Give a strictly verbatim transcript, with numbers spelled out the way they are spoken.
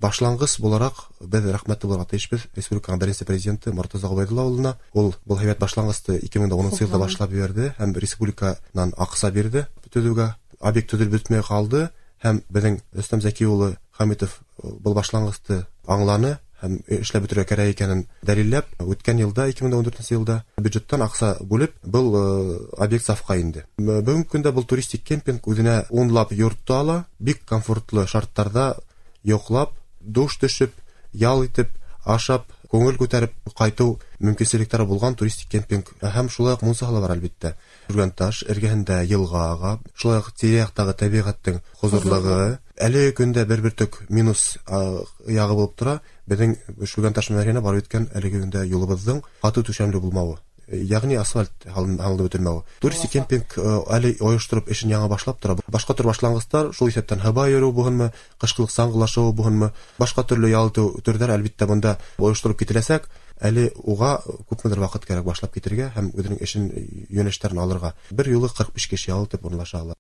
Башлангыч буларак без рәхмәтле булырга тиешбез республиканың беренче президенты Мортаза Гобәйдулла улына. Ул был һәйбәт башлангычты ике мең унынсы елда башлап җибәрде һәм республиканан акча бирде төзүгә. Объект төзелеп бетмәй калды һәм безнең Рөстәм Зәки улы Хәмитов был башлангычты аңланы һәм эшләп бетерергә кәрәк икәнен дәлилләп, үткән елда, ике мең ундүртенче елда бюджеттан акча бүлеп, был объект сафка инде. Бүгенге көндә был туристик кемпинг үзенә унлап йортты ала, бик комфортлы шартларда йоклап, душ төшеп, ял итеп, ашап, күңел күтәреп кайту мөмкинчелекләре булган туристик кемпинг. Һәм шулай ук мунча бар әлбәттә. Шүлгәнташ эргәһендә елга ага, шулай ук тирә-яктагы табигатьнең хозурлыгы. Әлеге көндә бер бөртек минус ягы булып тора. Безнең Шүлгәнташ мэриясенә барып җиткән әлеге көндә юлыбызның каты түшәмле булмавы, ягъни асфальт алынып бетермәве. Туристик кемпинг әле оештырып эшен яңа башлап тора. Башка төр башлангычлар, шул исәптән һаба йөрү булһынмы, кышкылык саңгылашуы булһынмы, башка төрле ял итү төрләре әлбәттә монда оештырып кителәсәк, әле уга күпмедер вакыт кирәк башлап китергә һәм үзенең эшен юнәлешләрен алырга. Бер юлы кырык биш кеше ял итеп урнаша ала.